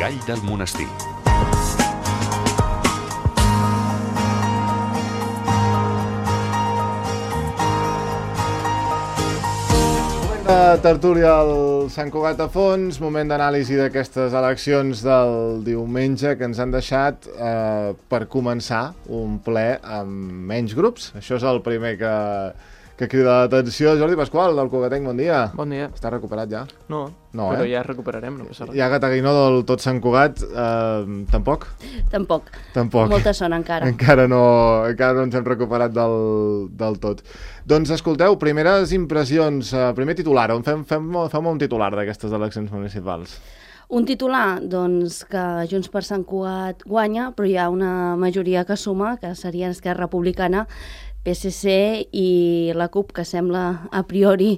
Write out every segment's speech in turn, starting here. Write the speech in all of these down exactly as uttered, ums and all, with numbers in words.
Gall del Monestir. De tertúlia al Sant Cugat a Fons, moment d'anàlisi d'aquestes eleccions del diumenge que ens han deixat eh, per començar un ple amb menys grups. Això és el primer que, que crida l'atenció. Jordi Pasqual, del Cugatenc, bon dia. Bon dia. Està recuperat ja? No, no però eh? ja recuperarem, no passa res. Ja Gataguinó del tot Sant Cugat, eh, tampoc? Tampoc. Tampoc. Molta son encara. Encara no, encara no ens hem recuperat del, del tot. Doncs escolteu, primeres impressions, uh, primer titular, on fem, fem, fem un titular d'aquestes eleccions municipals. Un titular, doncs, que Junts per Sant Cugat guanya, però hi ha una majoria que suma, que seria Esquerra Republicana, P S C i la CUP, que sembla a priori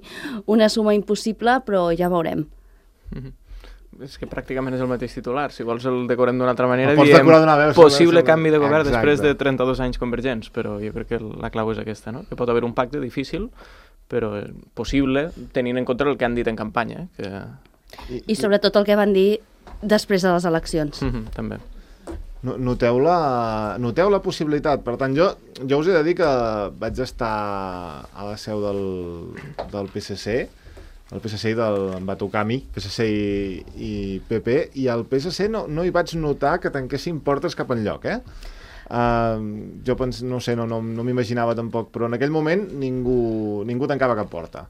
una suma impossible, però ja veurem. Mm-hmm. És que pràcticament és el mateix titular. Si vols el decorem d'una altra manera, el diem veu, possible sobre... canvi de govern Exacte. Després de trenta-dos anys convergents, però jo crec que la clau és aquesta, no? Que pot haver un pacte difícil, però possible, tenint en compte el que han dit en campanya. Eh? Que... I, I sobretot el que van dir després de les eleccions. Mm-hmm, també. Noteu la, noteu la possibilitat. Per tant, jo, jo us he de dir que vaig estar a la seu del, del P S C, el P S C del, em va tocar a mi, P S C i, i P P, i al P S C no, no hi vaig notar que tanquessin portes cap enlloc, eh? Uh, jo pens, no sé, no, no, no m'imaginava tampoc, però en aquell moment ningú, ningú tancava cap porta.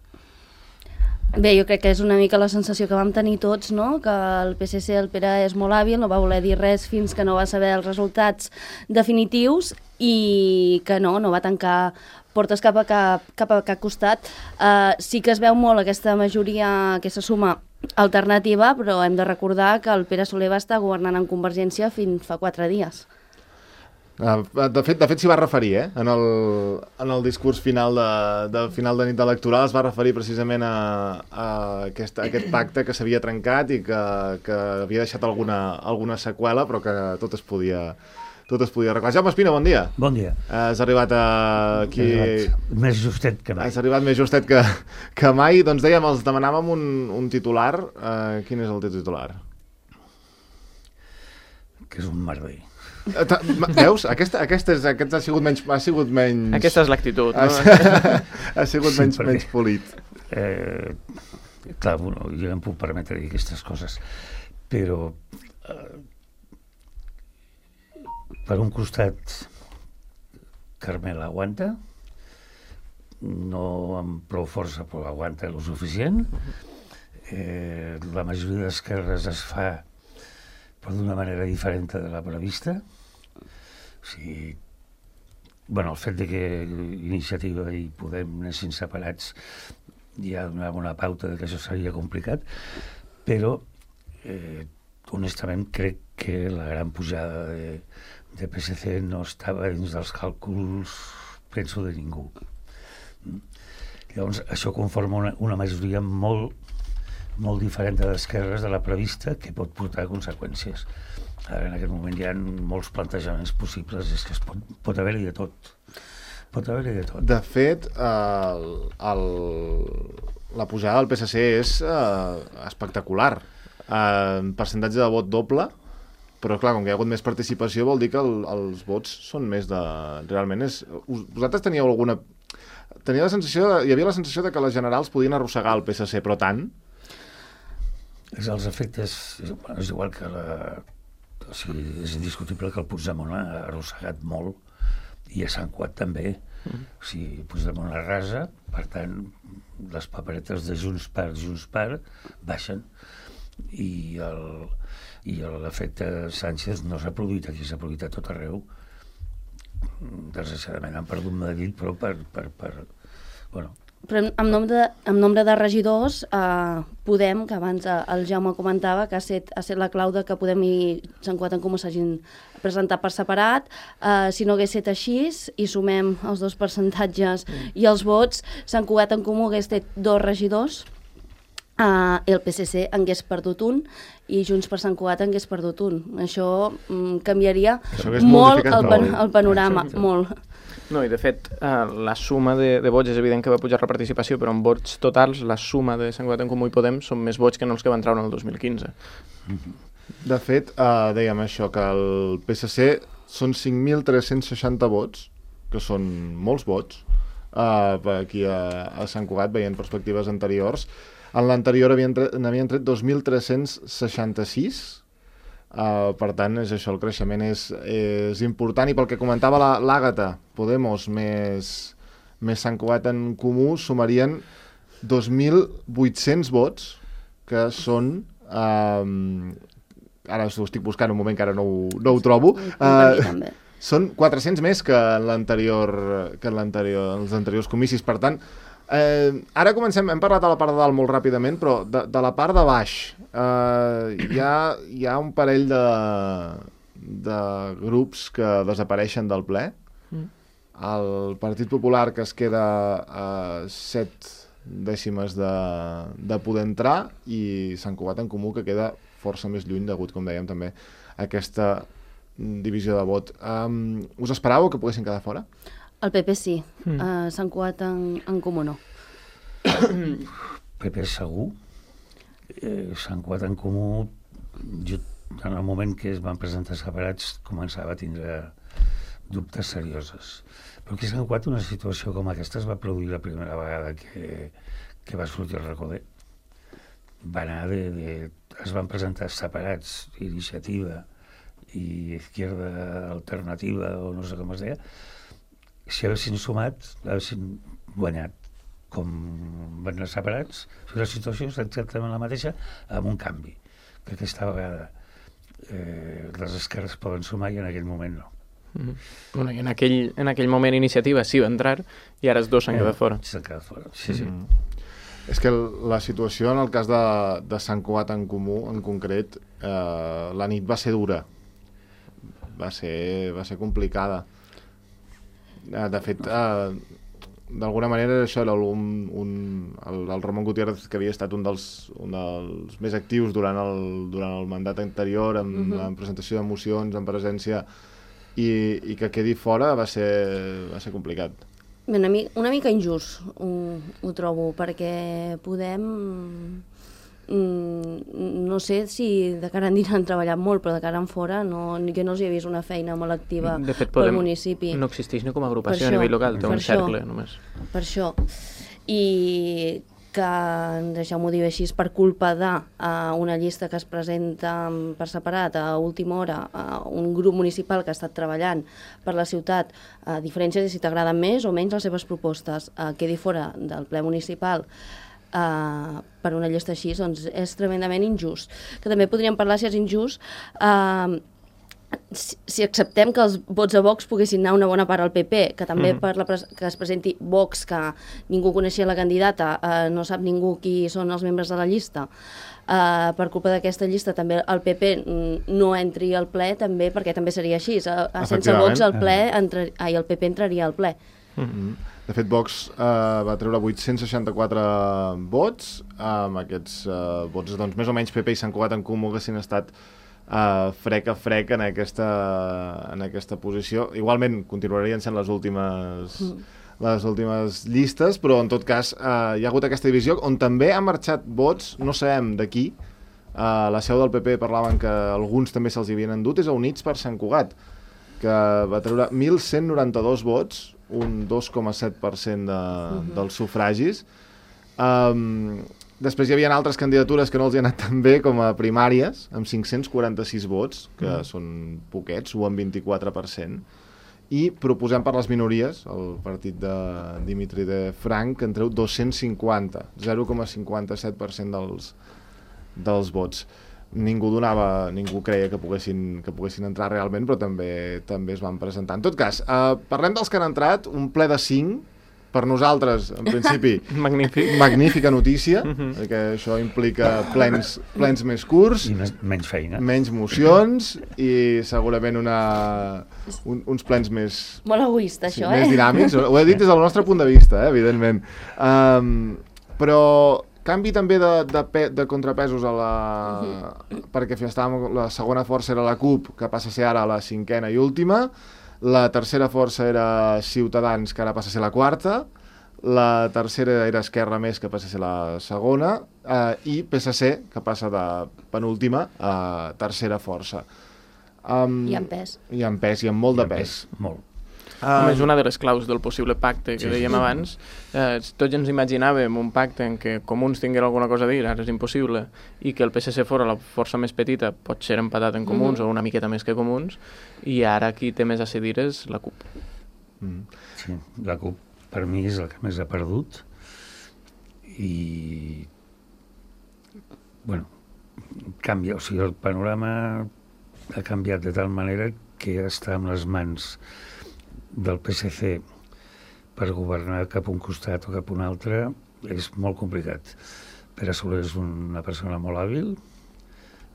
Bé, jo crec que és una mica la sensació que vam tenir tots, no? Que el P S C, el Pere és molt hàbil, no va voler dir res fins que no va saber els resultats definitius i que no, no va tancar portes cap a cap, cap a cap costat. Uh, sí que es veu molt aquesta majoria, aquesta suma alternativa, però hem de recordar que el Pere Soler va estar governant en Convergència fins fa quatre dies. Uh, de fet, de fet s'hi va referir, eh? En el, en el discurs final de, de final de nit electoral es va referir precisament a, a, aquest, a aquest pacte que s'havia trencat i que, que havia deixat alguna, alguna seqüela, però que tot es podia, tot es podia arreglar. Jaume Espina, bon dia. Bon dia. Uh, has arribat a aquí... Arribat més justet que mai. Has arribat més justet que, que mai. Doncs dèiem, els demanàvem un, un titular. Uh, quin és el teu titular? Que és un merder. Veus? Aquesta, aquesta és, aquest ha sigut menys... Ha sigut menys... Aquesta és l'actitud, no? Ha, ha sigut sí, menys, perquè, menys polit. Eh, clar, bueno, jo em puc permetre dir aquestes coses, però eh, per un costat Carmel aguanta, no amb prou força, però aguanta el suficient. Eh, la majoria d'esquerres es fa però d'una manera diferent de la prevista. O sigui, bueno, el fet de que Iniciativa i Podem anessin separats ja donava una pauta de que això seria complicat, però eh, honestament crec que la gran pujada de, de P S C no estava dins dels càlculs, penso, de ningú. Llavors, això conforma una, una majoria molt molt diferent de d'esquerres de la prevista, que pot portar conseqüències. Ara, en aquest moment hi ha molts plantejaments possibles, és que es pot, pot haver-hi de tot. Pot haver-hi de tot. De fet, el, el, la pujada del P S C és uh, espectacular. Uh, percentatge de vot doble, però clar, com que hi ha hagut més participació vol dir que el, els vots són més de... Realment és... Vosaltres teníeu alguna... Tenia la sensació de... Hi havia la sensació de que les generals podien arrossegar el P S C, però tant... És els efectes, és, és igual que la... O sigui, és indiscutible que el Puigdemont ha arrossegat molt i a Sant Cugat també. Mm. O sigui, Puigdemont arrasa, per tant, les paperetes de Junts per Junts per baixen i el, i l'efecte Sánchez no s'ha produït aquí, s'ha produït a tot arreu. Desgraciadament han perdut Madrid, però per... per, per bueno, però en nombre de, en nombre de regidors, eh, Podem, que abans eh, el Jaume comentava, que ha set, ha set la clau de que Podem i Sant Cugat en Comú s'hagin presentat per separat. Eh, si no hagués set així, i sumem els dos percentatges mm. i els vots, Sant Cugat en Comú hagués fet dos regidors, eh, el P S C en hagués perdut un, i Junts per Sant Cugat en hagués perdut un. Això mm, canviaria Això molt el, pan, el panorama, Exacte. molt. No, i de fet, eh, la suma de, de vots és evident que va pujar la participació, però en vots totals, la suma de Sant Cugat en Comú i Podem són més vots que no els que van treure en el dos mil quinze. Mm-hmm. De fet, uh, dèiem això, que el P S C són cinc mil tres-cents seixanta vots, que són molts vots, uh, aquí a, a Sant Cugat, veient perspectives anteriors. En l'anterior n'havien tret dos mil tres-cents seixanta-sis, uh, per tant, és això, el creixement és, és important, i pel que comentava l'Àgata, Podemos més, més Sant Cugat en Comú sumarien dos mil vuit-cents vots, que són... Uh, ara ho estic buscant un moment que ara no ho, no ho trobo. Uh, són quatre-cents més que en l'anterior, que en l'anterior, en els anteriors comicis. Per tant, eh, ara comencem, hem parlat de la part de dalt molt ràpidament, però de, de la part de baix eh, hi, ha, hi ha un parell de, de grups que desapareixen del ple. Mm. El Partit Popular, que es queda a set dècimes de, de poder entrar, i Sant Cugat en Comú, que queda força més lluny, degut, com dèiem, també aquesta divisió de vot. Um, us esperàveu que poguessin quedar fora? El P P sí, mm. uh, Sant Cugat en, en Comú no. P P segur. Eh, Sant Cugat en Comú, jo, en el moment que es van presentar separats, començava a tindre dubtes serioses. Però aquí a Sant Cugat una situació com aquesta es va produir la primera vegada que, que va sortir el Recoder. Va anar de, de... es van presentar separats, Iniciativa i Izquierda Alternativa, o no sé com es deia. Si haguessin sumat, haguessin guanyat. Com van anar separats, la situació és exactament la mateixa, amb un canvi, que aquesta vegada eh, les esquerres poden sumar i en aquell moment no. Mm-hmm. Bueno, i en aquell, en aquell moment Iniciativa sí va entrar i ara els dos s'han quedat fora. S'han quedat fora, sí, sí. Mm. És que la situació en el cas de, de Sant Cugat en Comú, en concret, eh, la nit va ser dura. Va ser, va ser complicada. Eh, de fet, eh, d'alguna manera això era un, un, el, el Ramon Gutiérrez, que havia estat un dels, un dels més actius durant el, durant el mandat anterior, en, uh-huh. en presentació de mocions, en presència, i, i que quedi fora va ser, va ser complicat. Una, una mica injust ho, ho trobo, perquè Podem, mm, no sé si de cara endins han treballat molt, però de cara en fora no, jo no els he vist una feina molt activa de fet, pel municipi. No existeix ni com a agrupació a nivell local, té un això, cercle només. Per això. I que, deixeu-m'ho dir així, per culpa de uh, una llista que es presenta per separat a última hora, uh, un grup municipal que ha estat treballant per la ciutat, a uh, diferència de si t'agraden més o menys les seves propostes, uh, quedi fora del ple municipal uh, per una llista així, doncs és tremendament injust. Que també podríem parlar, si és injust, uh, si, si acceptem que els vots a Vox poguessin anar una bona part al P P, que també mm. per la que es presenti Vox, que ningú coneixia la candidata, eh, no sap ningú qui són els membres de la llista, eh, per culpa d'aquesta llista també el P P no entri al ple, també perquè també seria així, eh, sense Vox el ple entra, ai, el P P entraria al ple. Mm-hmm. De fet, Vox eh, va treure vuit-cents seixanta-quatre vots, amb aquests eh, vots, doncs, més o menys P P i Sant Cugat en Comú haguessin estat Uh, frec a frec en aquesta, en aquesta posició. Igualment continuarien sent les últimes mm. les últimes llistes, però en tot cas uh, hi ha hagut aquesta divisió on també han marxat vots, no sabem d'aquí, uh, la seu del P P parlaven que alguns també se'ls havien endut, és a Units per Sant Cugat, que va treure mil cent noranta-dos vots, un dos coma set per cent de, mm-hmm. dels sufragis. Um, Després hi havia altres candidatures que no els hi han anat tan bé, com a primàries, amb cinc-cents quaranta-sis vots, que mm. són poquets, o amb vint-i-quatre per cent. I proposem per les minories, el partit de Dimitri de Frank, que en treu dos-cents cinquanta, zero coma cinquanta-set per cent dels, dels vots. Ningú donava, ningú creia que poguessin, que poguessin entrar realment, però també també es van presentar. En tot cas, eh, parlem dels que han entrat, un ple de cinc, per nosaltres, en principi, Magnífic. magnífica notícia, uh-huh. perquè això implica plens, plens més curts, i més, menys feina, menys mocions i segurament una, un, uns plens més... Molt egoista, sí, això, més eh? dinàmics. Ho he dit des del nostre punt de vista, eh, evidentment. Um, però canvi també de, de, pe, de contrapesos a la... Uh-huh. perquè estàvem, la segona força era la CUP, que passa a ser ara la cinquena i última. La tercera força era Ciutadans, que ara passa a ser la quarta. la tercera era Esquerra Més, que passa a ser la segona, eh, i P S C, que passa de penúltima a tercera força. Um, I amb pes. I amb pes, i amb molt de pes. Molt. Um, és una de les claus del possible pacte que sí, dèiem sí. abans. Eh, tots ens imaginàvem un pacte en què Comuns tinguera alguna cosa a dir, ara és impossible, i que el P S C fora la força més petita, pot ser empatat en Comuns mm-hmm. o una miqueta més que Comuns, i ara qui té més a cedir és la CUP. Mm. Sí, la CUP per mi és el que més ha perdut i bueno, canvia, o sigui, el panorama ha canviat de tal manera que està en les mans del P S C per governar cap un costat o cap un altre és molt complicat. Pere Soler és una persona molt hàbil,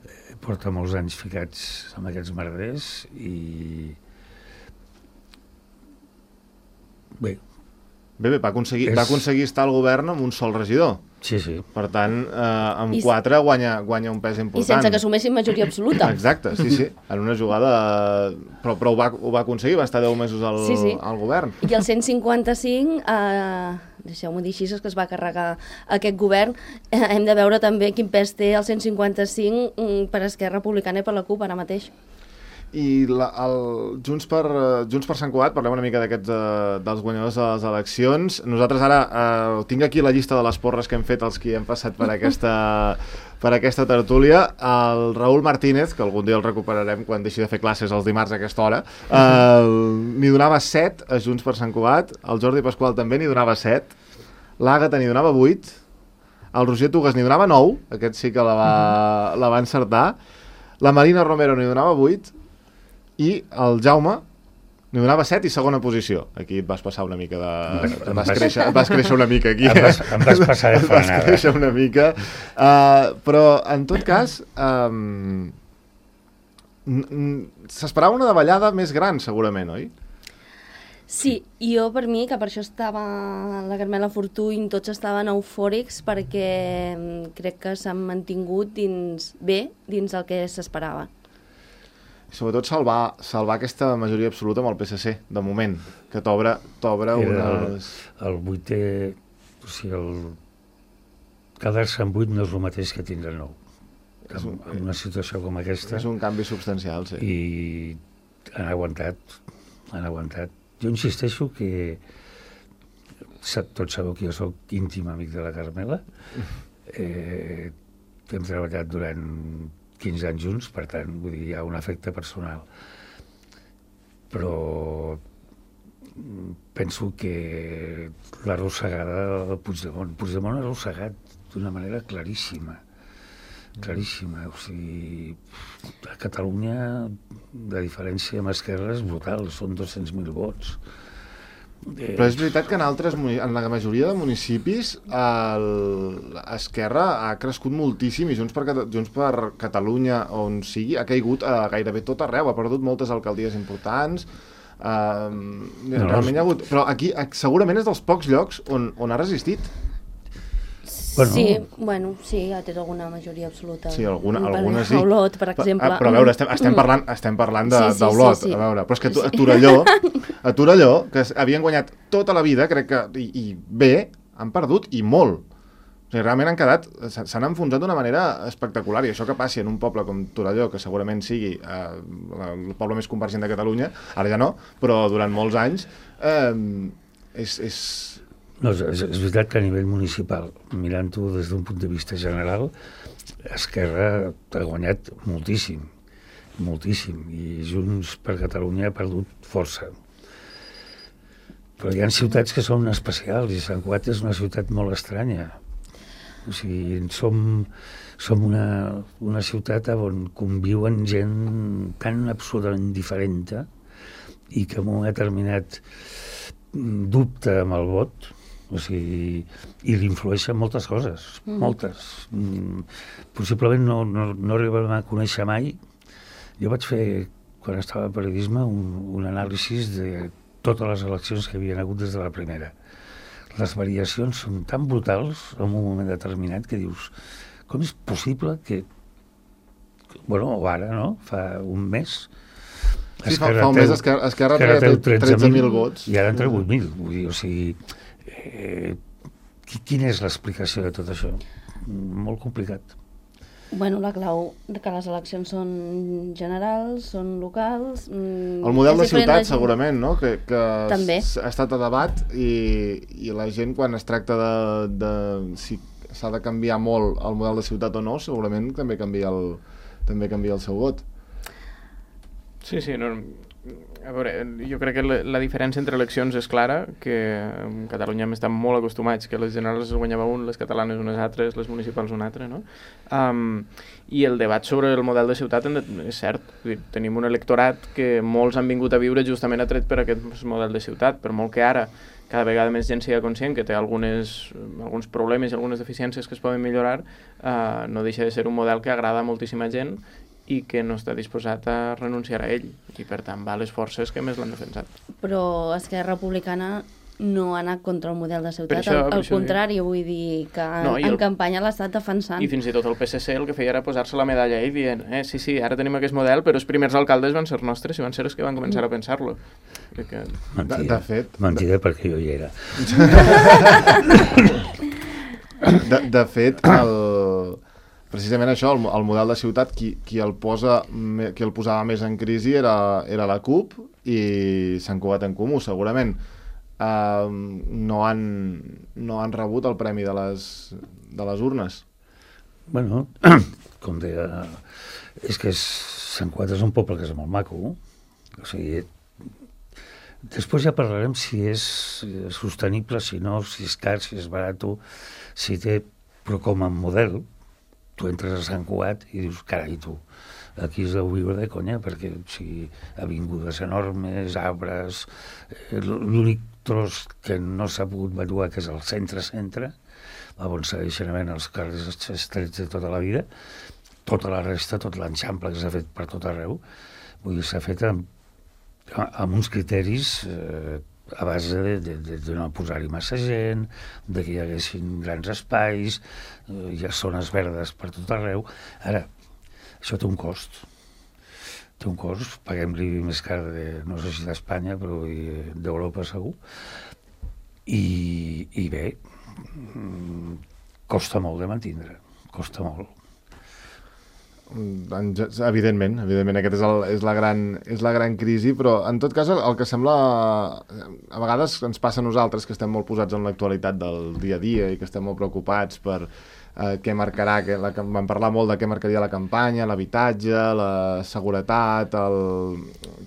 eh, porta molts anys ficats amb aquests merders i bé, Bé, bé, va aconseguir, És- va aconseguir estar al govern amb un sol regidor. sí, sí. Per tant, eh, amb I s- quatre guanya, guanya un pes I important. sense que assumessin majoria absoluta. Exacte, sí, sí. En una jugada... Però, però ho, va, ho va aconseguir, va estar deu mesos al, Sí, sí. al govern. I el cent cinquanta-cinc, eh, deixeu-m'ho dir així, és que es va carregar aquest govern. Eh, hem de veure també quin pes té el cent cinquanta-cinc mm, per Esquerra Republicana i per la CUP ara mateix. I la, el, Junts, per, eh, Junts per Sant Cugat, parlem una mica d'aquests eh, dels guanyadors de les eleccions. Nosaltres ara eh, tinc aquí la llista de les porres que hem fet els qui hem passat per aquesta, per aquesta tertúlia. El Raül Martínez, que algun dia el recuperarem quan deixi de fer classes els dimarts a aquesta hora, eh, n'hi donava set a Junts per Sant Cugat. El Jordi Pasqual també n'hi donava set. L'Àgata n'hi donava vuit. El Roger Tugas n'hi donava nou. Aquest sí que la va, la va encertar. La Marina Romero n'hi donava vuit. I el Jaume n'hi donava set i segona posició. Aquí et vas passar una mica de... Em Vas, vas- créixer, vas créixer una mica aquí. Em vas, em vas passar de Et vas frenada. créixer una mica. Uh, però, en tot cas, um, s'esperava una davallada més gran, segurament, oi? Sí, i jo per mi, que per això estava la Carmela Fortuny, tots estaven eufòrics perquè mm, crec que s'han mantingut dins, bé dins el que s'esperava. Sobretot salvar, salvar aquesta majoria absoluta amb el P S C, de moment, que t'obre t'obre Era unes... el, el vuitè, o sigui, el... quedar-se en vuit no és el mateix que tindre nou. És un- En, en una situació com aquesta. És un canvi substancial, sí. I han aguantat, han aguantat. Jo insisteixo que sa- tots sabeu que jo sóc íntim amic de la Carmela. Eh, hem treballat durant quinze anys junts, per tant, vull dir, hi ha un efecte personal. Però mm, penso que l'arrossegada del Puigdemont, Puigdemont ha arrossegat d'una manera claríssima, claríssima. O sigui, a Catalunya la diferència amb Esquerra és brutal, són dos-cents mil vots. Eh, Però és veritat que en altres, muni- en la majoria de municipis el- Esquerra ha crescut moltíssim i Junts per, Cata- Junts per Catalunya, on sigui, ha caigut a gairebé tot arreu, ha perdut moltes alcaldies importants, uh, No, realment hi ha hagut... Però aquí eh, segurament és dels pocs llocs on, on ha resistit. Bueno. Sí, bueno, sí, ha tret alguna majoria absoluta. Sí, alguna, Per alguna sí. Olot, per exemple. Ah, però a veure, estem, estem parlant, estem parlant de, Sí, sí, d'Olot, sí, sí. a veure. Però és que a, Tu- a Sí. Torelló, a Torelló, que s- havien guanyat tota la vida, crec que, i, i bé, han perdut, i molt. O sigui, realment han quedat, s- s'han enfonsat d'una manera espectacular, i això que passi en un poble com Torelló, que segurament sigui eh, el poble més convergent de Catalunya, ara ja no, però durant molts anys, eh, és... és... No, és, és veritat que a nivell municipal, mirant-ho des d'un punt de vista general, Esquerra ha guanyat moltíssim, moltíssim, i Junts per Catalunya ha perdut força. Però hi ha ciutats que són especials, i Sant Cugat és una ciutat molt estranya. O sigui, som, som una, una ciutat on conviuen gent tan absolutament diferent i que en un determinat dubte amb el vot, o sigui, i l'influeixen moltes coses, mm. moltes. Mm, possiblement no, no, no arribem a conèixer mai. Jo vaig fer, quan estava a periodisme, un, un anàlisi de totes les eleccions que havien hagut des de la primera. Les variacions són tan brutals en un moment determinat que dius, com és possible que, bueno, o ara, no?, fa un mes, Sí, fa, fa un mes Esquerra, Esquerra treia tretze mil vots. I ara en treu vuit mil. Vull dir, o sigui, eh, quina és l'explicació de tot això? Molt complicat. Bueno, la clau que les eleccions són generals, són locals... El model de ciutat, segurament, no? Que, que També. ha estat a debat i, i la gent, quan es tracta de, de si s'ha de canviar molt el model de ciutat o no, segurament també canvia el, també canvia el seu vot. Sí, sí, no... A veure, jo crec que la, la diferència entre eleccions és clara, que en Catalunya hem estat molt acostumats, que les generals es guanyava un, les catalanes unes altres, les municipals un altre, no? Um, I el debat sobre el model de ciutat és cert. Tenim un electorat que molts han vingut a viure justament atret per aquest model de ciutat, per molt que ara cada vegada més gent sigui conscient que té algunes, alguns problemes i algunes deficiències que es poden millorar, uh, no deixa de ser un model que agrada a moltíssima gent i que no està disposat a renunciar a ell, i per tant va a les forces que més l'han defensat. Però Esquerra Republicana no ha anat contra el model de ciutat, això, al, al contrari, dic. Vull dir que no, en el... campanya l'ha estat defensant. I fins i tot el P S C el que feia era posar-se la medalla a ell dient, eh, sí, sí, ara tenim aquest model, però els primers alcaldes van ser nostres i van ser els que van començar a pensar-lo. Que... Mentida, de, de fet, mentida de... perquè jo hi era. de, de fet, el... precisament això, el, el model de ciutat, qui, qui, el posa, qui el posava més en crisi era, era la CUP i Sant Cugat en Comú, segurament. Uh, no, han, no han rebut el premi de les, de les urnes. Bueno, com deia, és que és, Sant Cugat és un poble que és molt maco. O sigui, després ja parlarem si és sostenible, si no, si és car, si és barat, si té, però com a model, tu entres a Sant Cugat i dius, carai, tu, aquí es deu viure de conya, perquè o sigui, avingudes enormes, arbres, eh, l'únic tros que no s'ha pogut valuar, que és el centre-centre, on segueixen havent els carrers estrets de tota la vida, tota la resta, tot l'enxample que s'ha fet per tot arreu, vull dir, s'ha fet amb, amb uns criteris eh, a base de, de, de, de no posar-hi massa gent, de que hi haguessin grans espais, eh, hi ha zones verdes per tot arreu. Ara, això té un cost. Té un cost, paguem l'I B I més car de, no sé si d'Espanya, però d'Europa segur. I, i bé, costa molt de mantindre, costa molt. Evidentment, evidentment, aquest és, el, és, la gran, és la gran crisi, però en tot cas el, el que sembla, a vegades ens passa a nosaltres que estem molt posats en l'actualitat del dia a dia i que estem molt preocupats per eh, què marcarà, que la, vam parlar molt de què marcaria la campanya, l'habitatge, la seguretat, el,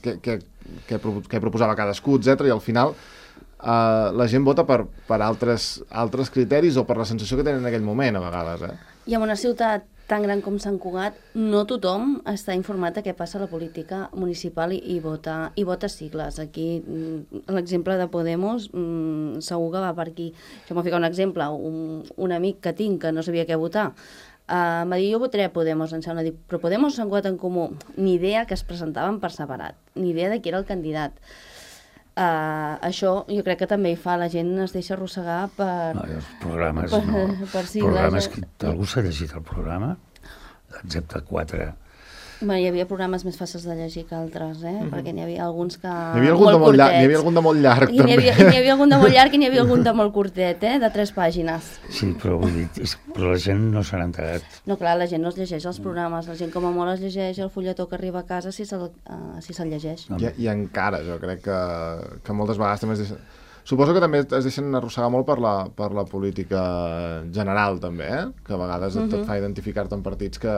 què, què, què, què proposava cadascú, etcètera. I al final eh, la gent vota per, per altres, altres criteris o per la sensació que tenen en aquell moment, a vegades. Eh? I en una ciutat tan gran com Sant Cugat, no tothom està informat de què passa a la política municipal i, i, vota, i vota sigles. Aquí, l'exemple de Podemos, mmm, segur que va per aquí. Jo m'ho fico un exemple, un, un amic que tinc que no sabia què votar, uh, m'ha dit, jo votaré a Podemos, em sembla, dic, però Podemos o Sant Cugat en Comú? Ni idea que es presentaven per separat, ni idea de qui era el candidat. Uh, això jo crec que també hi fa, la gent es deixa arrossegar per... No, els programes, per, no. Per sigles, programes que, algú s'ha llegit el programa? Excepte quatre. Bueno, hi havia programes més fàcils de llegir que altres, eh? Mm-hmm. Perquè n'hi havia alguns que... N'hi havia algun, molt de, molt llarg, curtets. havia algun de molt llarg, I també. N'hi havia, n'hi havia algun de molt llarg i n'hi havia algun de molt curtet, eh? De tres pàgines. Sí, però vull dir, és, però la gent no se n'ha enterat. No, clar, la gent no es llegeix els programes, la gent com a molt es llegeix el fulletó que arriba a casa si se'l uh, si se'l llegeix. I, I encara, jo crec que, que moltes vegades també es deixen... Suposo que també es deixen arrossegar molt per la, per la política general, també, eh? Que a vegades uh-huh. tot fa identificar-te en partits que,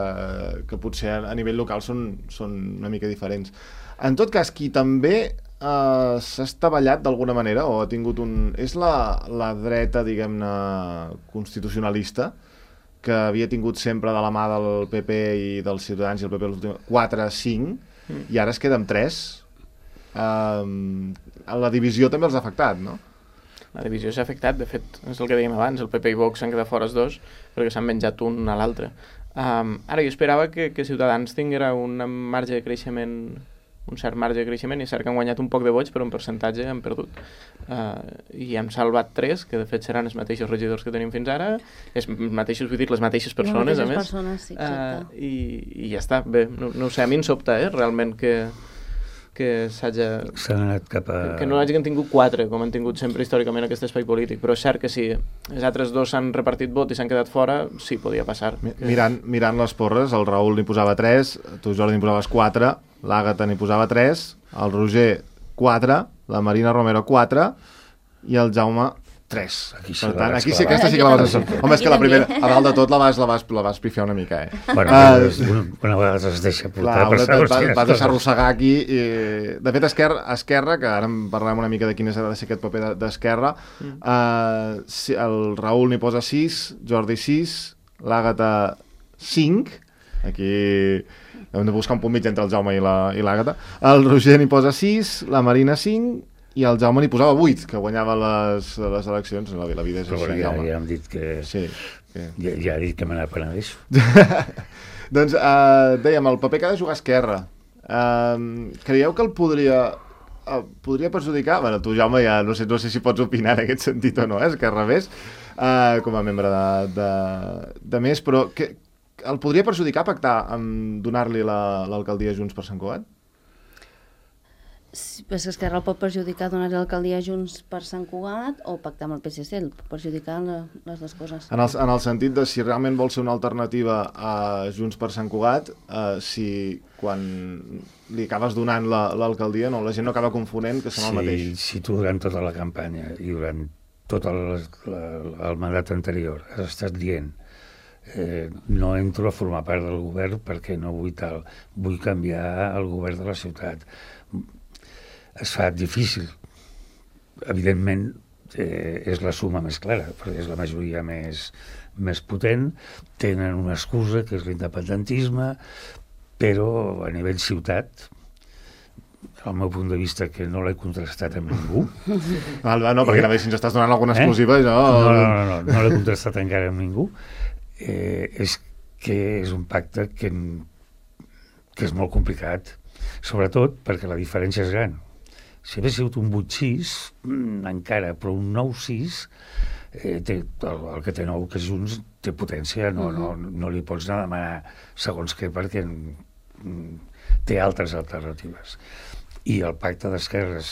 que potser a nivell local són, són una mica diferents. En tot cas, qui també eh, s'ha estavellat d'alguna manera o ha tingut un... és la, la dreta, diguem-ne, constitucionalista, que havia tingut sempre de la mà del P P i dels Ciutadans i el P P els últims quatre cinc, mm. i ara es queda amb tres. Uh, la divisió també els ha afectat, no? La divisió s'ha afectat, de fet, és el que dèiem abans, el P P i Vox s'han quedat fora els dos perquè s'han menjat un a l'altre. Um, ara, jo esperava que, que Ciutadans tinguera un marge de creixement, un cert marge de creixement, i és cert que han guanyat un poc de vots, però un percentatge han perdut. Uh, I hem salvat tres, que de fet seran els mateixos regidors que tenim fins ara, els mateixos, vull dir, les mateixes persones, les mateixes a més. Persones, sí, exacte. Uh, i, I ja està, bé, no, no ho sé, a mi em sobta, eh, realment, que... que s'hagi... S'han anat cap a... Que no hagin tingut quatre, com han tingut sempre històricament aquest espai polític, però és cert que si els altres dos s'han repartit vot i s'han quedat fora, sí, podia passar. Mirant, mirant les porres, el Raül n'hi posava tres, tu, Jordi, n'hi posaves quatre, l'Àgata n'hi posava tres, el Roger quatre, la Marina Romero quatre i el Jaume tres. Aquí per tant, aquí sí, aquesta sí que la vas encertar. Home, és que la primera, a dalt de tot, la vas, la vas, la vas pifiar una mica, eh? Bueno, uh, una, una vegada es deixa portar clar, per segons vas, quines vas deixar coses. arrossegar aquí. I, de fet, Esquerra, Esquerra, que ara en parlem una mica de quin és ha de ser aquest paper d'Esquerra, mm. uh, si, el Raül n'hi posa sis, Jordi sis, l'Àgata cinc, aquí hem de buscar un punt mig entre el Jaume i l'Àgata, el Roger n'hi posa sis, la Marina cinc, i el Jaume n'hi posava vuit, que guanyava les, les eleccions. La, la vida és però així, ja, Jaume. ja hem dit que... Sí. que... Ja, ja he dit que me n'apenedeixo. Doncs uh, dèiem, el paper que ha de jugar Esquerra. Uh, creieu que el podria... Uh, podria perjudicar? Bueno, tu, Jaume, ja no sé, no sé si pots opinar en aquest sentit o no, eh? Esquerra Més, uh, com a membre de, de, de Més, però que, el podria perjudicar pactar amb donar-li l'alcaldia la, Junts per Sant Cugat? Sí, però és que Esquerra el pot perjudicar donar l'alcaldia Junts per Sant Cugat o pactar amb el P S C, el pot perjudicar la, les dues coses. En el, en el sentit de si realment vol ser una alternativa a Junts per Sant Cugat, eh, si quan li acabes donant l'alcaldia, no, la gent no acaba confonent que són sí, el mateix. Si tu durant tota la campanya i durant tot el, la, el mandat anterior has estat dient eh, no entro a formar part del govern perquè no vull tal, vull canviar el govern de la ciutat, es fa difícil. Evidentment, eh, és la suma més clara, perquè és la majoria més, més potent, tenen una excusa, que és l'independentisme, però a nivell ciutat, al meu punt de vista, que no l'he contrastat amb ningú. Val, va, no, perquè eh? si ens estàs donant alguna exclusiva, eh? jo... No, no, no, no, no l'he contrastat encara amb ningú. Eh, és que és un pacte que, que és molt complicat, sobretot perquè la diferència és gran. Si hagués sigut un vuit sis, encara, però un nou sis, eh, té, el, el que té nou, que és Junts, té potència, no, no, no li pots anar a demanar segons què, perquè té altres alternatives. I el pacte d'esquerres,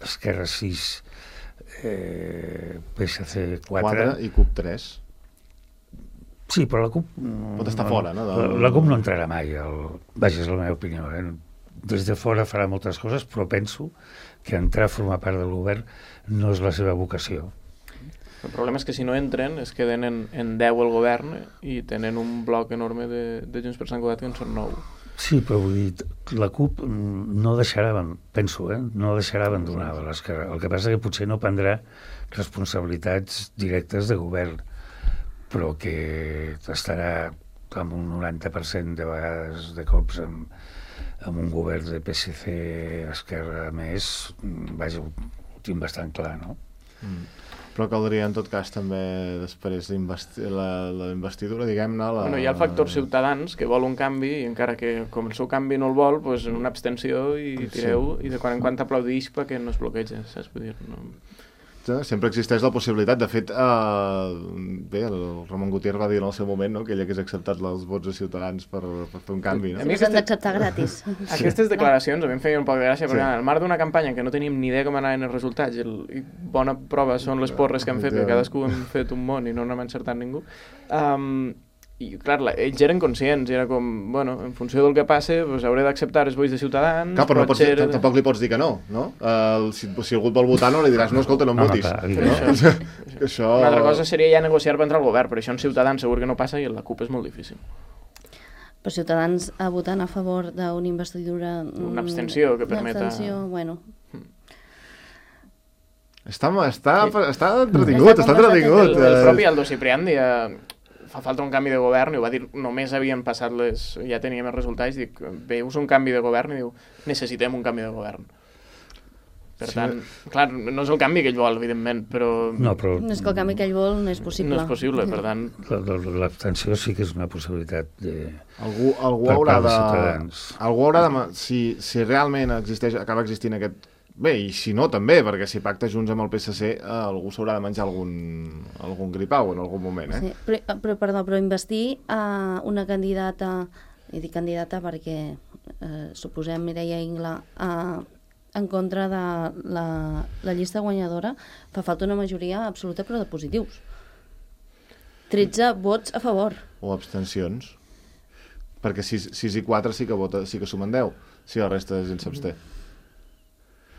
Esquerra sis, eh, P S C quatre... i C U P tres. Sí, però la C U P... Pot estar fora, no? La, la C U P no entrarà mai, el, vaja, és la meva opinió, eh? Des de fora farà moltes coses, però penso que entrar a formar part del govern no és la seva vocació. El problema és que si no entren es queden en, en deu el govern i tenen un bloc enorme de, de Junts per Sant Cugat que en són nou. Sí, però vull dir, la C U P no deixarà, penso, eh, no deixarà abandonar l'esquerra. El que passa que potser no prendrà responsabilitats directes de govern, però que estarà amb un noranta per cent de vegades de cops amb, amb un govern de P S C, Esquerra Més, vaja, ho tinc bastant clar, no? Mm. Però caldria, en tot cas, també després la, la investidura, diguem-ne... La... Bueno, hi ha el factor Ciutadans, que vol un canvi, i encara que com el seu canvi no el vol, doncs una abstenció i tireu, sí. I de quan en quant aplaudix perquè no es bloqueja, saps? Vull dir, no... Sempre existeix la possibilitat. De fet, eh, bé, el Ramon Gutiérrez va dir en el seu moment, no?, que ell hagués acceptat els vots de Ciutadans per, per fer un canvi. No? Sí, els han d'acceptar gratis. Aquestes declaracions a mi em feien un poc de gràcia, perquè sí. Al marc d'una campanya que no teníem ni idea com anaven els resultats, i, el, i bona prova són les porres que han fet, que cadascú hem fet un món i no n'hem encertat ningú. Um, I, clar, la, ells eren conscients, i era com, bueno, en funció del que passe, pues, hauré d'acceptar els vots de Ciutadans... Clar, però no pots, ser... tampoc li pots dir que no, no? Uh, si, si algú et vol votar, no li diràs, no, escolta, no em votis. No, no, no. Això, això... Una altra cosa seria ja negociar per entrar al govern, però això en Ciutadans segur que no passa i en la C U P és molt difícil. Però Ciutadans a votant a favor d'una investidura... Una abstenció que permeta... Una abstenció, bueno... Està, està, està entretingut, està entretingut. El, el propi Aldo Ciprián dia... fa falta un canvi de govern, i ho va dir, només havien passat les... ja teníem els resultats, dic, veus un canvi de govern, i diu, necessitem un canvi de govern. Per sí. tant, clar, no és el canvi que ell vol, evidentment, però... No, però... No és que el canvi que ell vol no és possible. No és possible, per tant... L'abstenció sí que és una possibilitat de... Algú, algú haurà de... Algú haurà de... Si, si realment existeix, acaba existint aquest... Bé, i si no, també, perquè si pacta Junts amb el P S C, eh, algú s'haurà de menjar algun, algun gripau en algun moment, eh? Sí, però, però, perdó, però investir a una candidata, i dic candidata perquè eh, suposem Mireia Ingla, eh, en contra de la, la llista guanyadora, fa falta una majoria absoluta però de positius. tretze vots a favor. O abstencions. Perquè sis i quatre sí que vota, sí que sumen deu, si la resta de gent s'absté.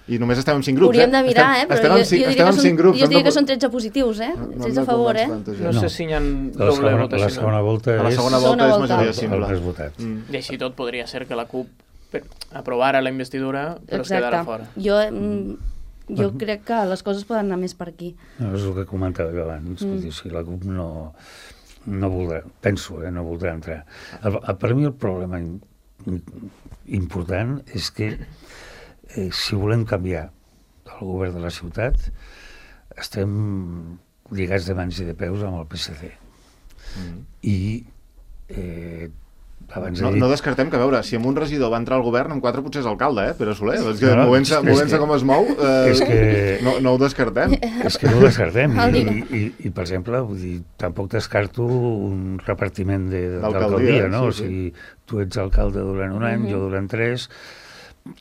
I només estem amb cinc grups, Hauríem eh? de mirar, estem, eh? Però estem jo, amb cinc, jo estem amb cinc grups. Jo diria no, que són tretze positius, eh? no, no tretze a favor, eh? No sé si hi ha La doble segona, votació. la segona volta A la és segona volta Segona és volta. majoria el, el simple. més votat. Mm. I així tot podria ser que la CUP per- aprovara la investidura però es quedara fora. Jo, mm, jo crec que les coses poden anar més per aquí. No, és el que comentava jo abans. Mm. Dir, si la CUP no, no voldrà, penso, eh, no voldrà entrar. El, el, per mi el problema in, important és que eh, si volem canviar el govern de la ciutat, estem lligats de mans i de peus amb el P S C. Mm. I eh, abans No, he dit... no descartem que, a veure, si amb un regidor va entrar al govern, amb quatre potser és alcalde, eh, Pere Soler? És que No, no, movent-se és movent que- com es mou, eh, és que... no, no ho descartem. És que no ho descartem. El I, dia. i, i, per exemple, vull dir, tampoc descarto un repartiment de- D'alcaldia, d'alcaldia, no? sí, O sigui, tu ets alcalde durant un any, jo durant tres,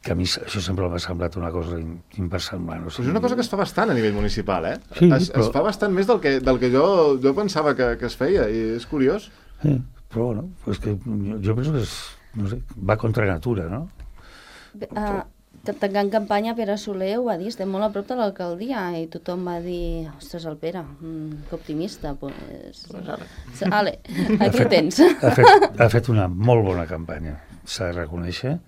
que a mi això sempre m'ha semblat una cosa in- inversemblant. O Però és una cosa que es fa bastant a nivell municipal, eh? Sí, es, però- es fa bastant més del que, del que jo, jo pensava que, que es feia, i és curiós. Sí, però bueno, és que jo, jo penso que és, no sé, va contra natura, no? Uh, tancant campanya, Pere Soler ho va dir, estem molt a prop de l'alcaldia, i tothom va dir, ostres, el Pere, mm, que optimista. Pues... Pues ara. Ale, aquí ho tens. Ha fet, ha fet una molt bona campanya, s'ha de reconèixer,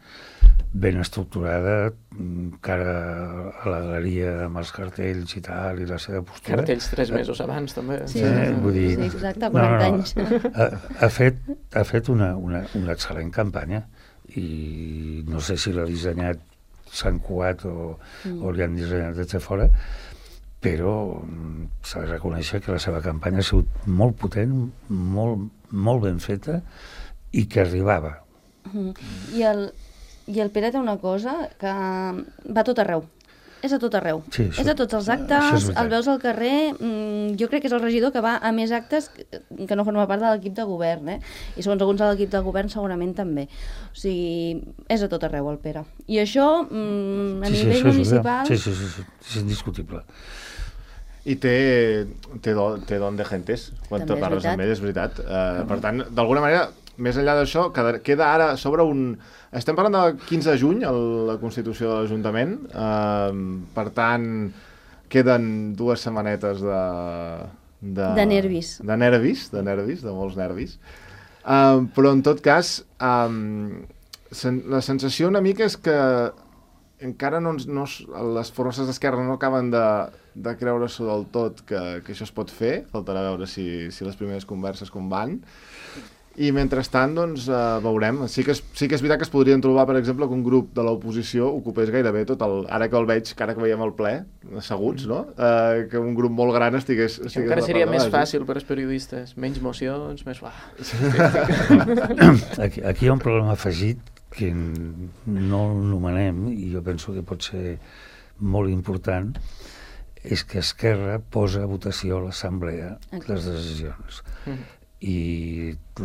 ben estructurada, mm, cara a la galeria amb els cartells i tal, i la seva postura. Cartells tres mesos abans, també. Sí, Eh, sí, vull dir- sí, exacte, quaranta anys. Ha, ha fet, ha fet una, una, una excel·lent campanya i no sé si l'ha dissenyat Sant Cugat o, mm. o li han dissenyat des de fora, però mm, s'ha de reconèixer que la seva campanya ha sigut molt potent, molt, molt ben feta i que arribava. Mhm. I el, I el Pere té una cosa que va a tot arreu. És a tot arreu. Sí, això- és a tots els això és actes, veritat. el veus al carrer. Mm, jo crec que és el regidor que va a més actes que, que no forma part de l'equip de govern, eh? I segons alguns de l'equip de govern segurament també. O sigui, és a tot arreu el Pere. I això, mm, a Sí, sí, nivell això és municipal... veritat. Sí, sí, sí, sí, és indiscutible. I té, té, do, té don de gentes, quan També te és parles veritat. amb ell, és veritat. Uh, per tant, d'alguna manera, més enllà d'això, queda, queda ara sobre un... Estem parlant del quinze de juny, el, la Constitució de l'Ajuntament. Uh, per tant, queden dues setmanetes de... De, De nervis. De nervis, de nervis, de molts nervis. Uh, però, en tot cas, um, sen, la sensació una mica és que encara no, ens- no, es- les forces d'esquerra no acaben de, de creure-s'ho del tot que, que això es pot fer. Faltarà veure si, si les primeres converses com van. I mentrestant, doncs, eh, veurem. Sí que, és, sí que és veritat que es podrien trobar, per exemple, que un grup de l'oposició ocupés gairebé tot el... Ara que el veig, que ara que veiem el ple, asseguts, no? Eh, que un grup molt gran estigués... Això estigués encara a la seria part de més baix. fàcil per als periodistes. Menys mocions, més... Uah. Aquí, aquí hi ha un problema afegit que n- no l'anomenem i jo penso que pot ser molt important, és que Esquerra posa a votació a l'Assemblea les decisions. Mm. I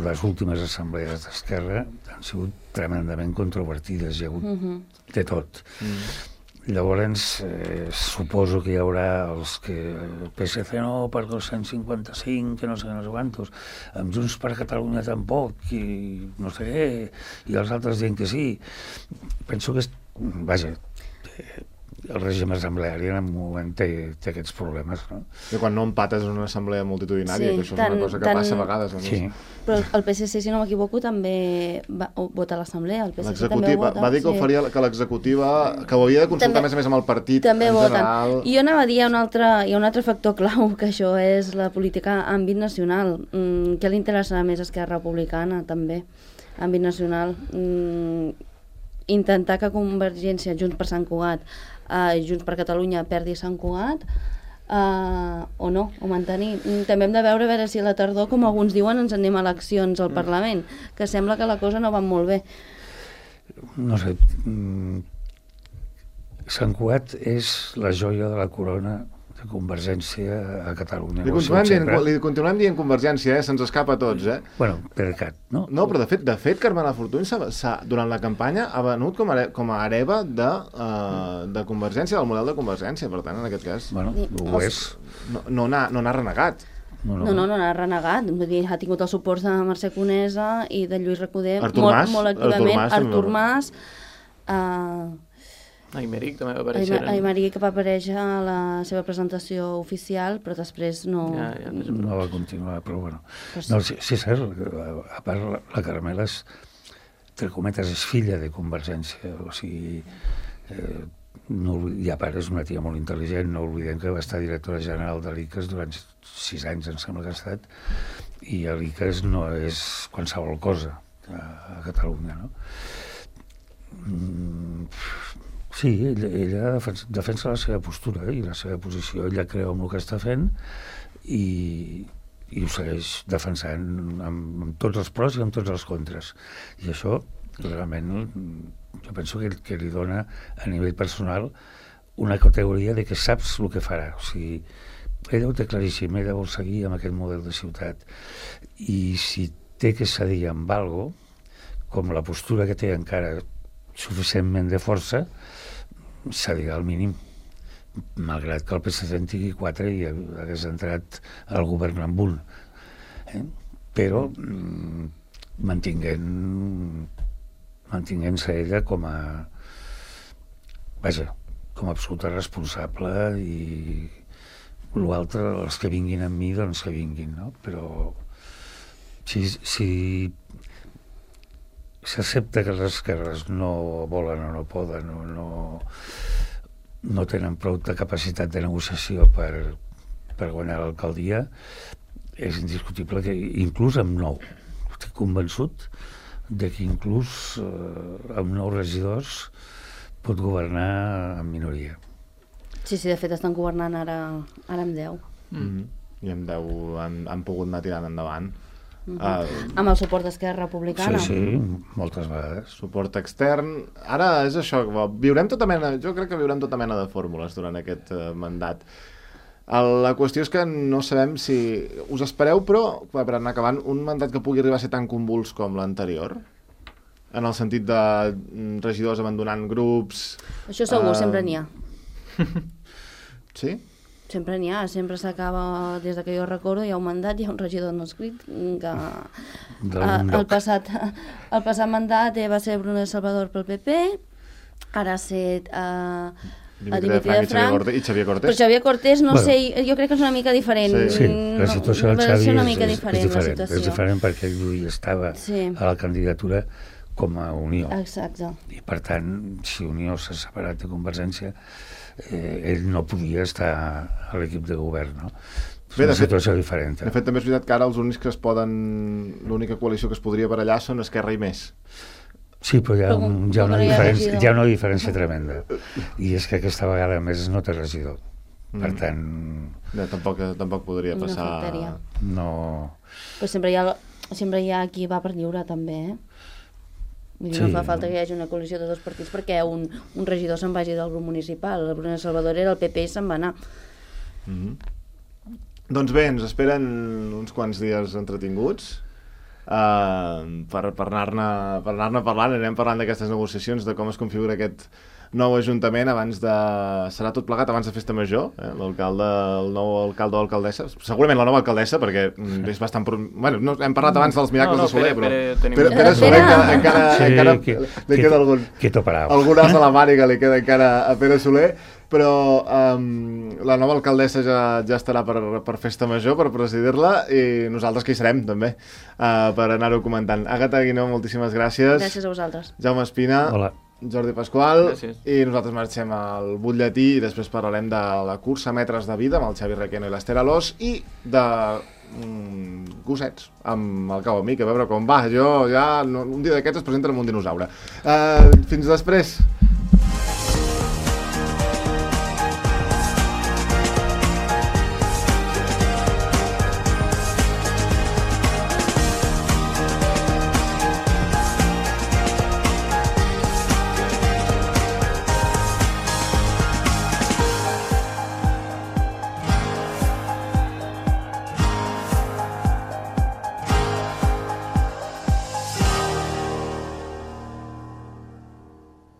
les últimes assemblees d'Esquerra han sigut tremendament controvertides, hi ha hagut Mhm. de tot. Mm. Llavors, eh, suposo que hi haurà els que el P S C no, per el cent cinquanta cinc, que no sé, no sé quantos, amb Junts per Catalunya tampoc, i no sé què, i els altres dient que sí. Penso que, és, vaja, eh, el règim assembleari en un moment té, té aquests problemes, no? I quan no empates en una assemblea multitudinària, Sí, que això tant- és una cosa que tant- passa a vegades. A més. Sí. Però el P S C, si no m'equivoco, també va, o, vota a l'Assemblea. El P S C també L'executiva ho vota. va dir que, ho faria, que l'executiva, que ho havia de consultar També- a més a més amb el partit També en voten. general. I jo anava a dir, hi ha un altre, hi ha un altre factor clau, que això és la política a àmbit nacional. Mm, què li interessarà més a Esquerra Republicana, també, a àmbit nacional? Mm, intentar que Convergència, Junts per Sant Cugat, eh, Junts per Catalunya perdi Sant Cugat, eh, o no, o mantenir. Mm, també hem de veure a veure si a la tardor, com alguns diuen, ens anem a eleccions al Parlament, que sembla que la cosa no va molt bé. No sé, mm, Sant Cugat és la joia de la corona de Convergència a Catalunya. Li continuem, dient, li continuem dient Convergència, eh? Se'ns escapa a tots, eh? Bueno, per cat, no? No, però de fet, de fet Carmela Fortuny s'ha, s'ha, durant la campanya ha venut com a, com a hereva de, uh, de Convergència, del model de Convergència, per tant, en aquest cas. Bueno, ho és. No, no n'ha no n'ha renegat. No, no, no, no n'ha renegat. Vull dir, ha tingut el suport de Mercè Conesa i de Lluís Recoder Artur molt, Mas, molt activament. Artur Mas. Artur Mas. Uh, Aymeric també va aparèixer. Aymeric va aparèixer a la seva presentació oficial, però després no... Ja, ja, no va continuar, però bueno. No, sí, sí, és cert, a part la Carmela és, entre cometes, és filla de Convergència, o sigui, eh, no, i a part és una tia molt intel·ligent, no oblidem que va estar directora general de l'I C A S durant sis anys, em sembla que ha estat, i l'I C A S no és qualsevol cosa a, a Catalunya, no? Mm, sí, ella, ella defensa, defensa la seva postura eh, i la seva posició, ella creu en el que està fent i, i ho segueix defensant amb, amb tots els pros i amb tots els contres, i això realment jo penso que, que li dona a nivell personal una categoria de que saps el que farà, o sigui, ella ho té claríssim, ella vol seguir amb aquest model de ciutat i si té que cedir amb algo, com la postura que té encara suficientment de força, cedirà al mínim, malgrat que el P S C en tingui quatre i hagués entrat al govern amb un, eh? Però mm, mantinguent mantinguent-se ella com a vaja, com a absoluta responsable i l'altre, els que vinguin amb mi, doncs que vinguin, no? Però si, si s'accepta que les esquerres no volen o no poden o no, no tenen prou de capacitat de negociació per, per guanyar l'alcaldia, és indiscutible que inclús amb nou, estic convençut de que inclús eh, amb nou regidors pot governar en minoria. Sí, sí, de fet estan governant ara, ara amb deu. Mm-hmm. I amb deu han, han pogut anar tirant endavant. Uh-huh. Uh, amb el suport d'Esquerra Republicana. Sí, sí, moltes vegades. Suport extern. Ara és això, viurem tota mena, jo crec que viurem tota mena de fórmules durant aquest uh, mandat. El, la qüestió és que no sabem si... Us espereu, però, per anar acabant, un mandat que pugui arribar a ser tan convuls com l'anterior? En el sentit de regidors abandonant grups... Això segur, uh... sempre n'hi ha. Sí? Sempre n'hi ha, sempre s'acaba, des que jo recordo, hi ha un mandat, hi ha un regidor no escrit, que a, el, passat, el passat mandat va ser Bruno Salvador pel P P, ara ha set uh, Dimitri de Frank, de Frank i Xavier Cortés. Però Xavier Cortés, no bueno, sé, jo crec que és una mica diferent. Sí, sí, la situació del Xavi és, una mica és, diferent, és diferent, és diferent perquè ell estava sí. a la candidatura com a Unió. Exacte. I per tant, si Unió s'ha separat de Convergència, eh, ell no podia estar a l'equip de govern, no? És Bé, una situació fet, diferent. Eh? De fet, també és veritat que ara els únics que es poden... L'única coalició que es podria barallar són Esquerra i Més. Sí, però hi ha, un, hi ha, una, diferència, hi ha una diferència tremenda. I és que aquesta vegada Més no té regidor. Per mm. tant... No, tampoc, tampoc podria passar... No... Però sempre hi ha, sempre hi ha qui va per lliure, també, eh? Vull dir, sí. No fa falta que hi hagi una coalició de dos partits perquè un, un regidor se'n vagi del grup municipal. El Bruno Salvador era el P P i se'n va anar. Mm-hmm. Doncs bé, ens esperen uns quants dies entretinguts uh, per, per anar-ne per anar-ne parlant. Anem parlant d'aquestes negociacions, de com es configura aquest nou ajuntament abans de... Serà tot plegat abans de Festa Major, eh? L'alcalde, el nou alcalde o alcaldessa, segurament la nova alcaldessa, perquè és bastant... Pro... Bueno, no, hem parlat abans dels miracles no, no, de Soler, però... Pere, Pere, Pere, Pere Soler encara, encara, sí, encara que, li queda algun... Algun as a la màniga li queda encara a Pere Soler, però um, la nova alcaldessa ja, ja estarà per, per Festa Major, per presidir-la, i nosaltres que hi serem, també, uh, per anar-ho comentant. Àgata Guinó, moltíssimes gràcies. Gràcies a vosaltres. Jaume Espina. Hola. Jordi Pasqual. Gràcies. I nosaltres marxem al butlletí i després parlarem de la cursa Metres de Vida amb el Xavi Requeno i l'Esther Alós i de mm, gossets amb el Cau Amic, a veure com va. Jo ja, no, un dia d'aquests es presenta amb un dinosaure. Uh, fins després.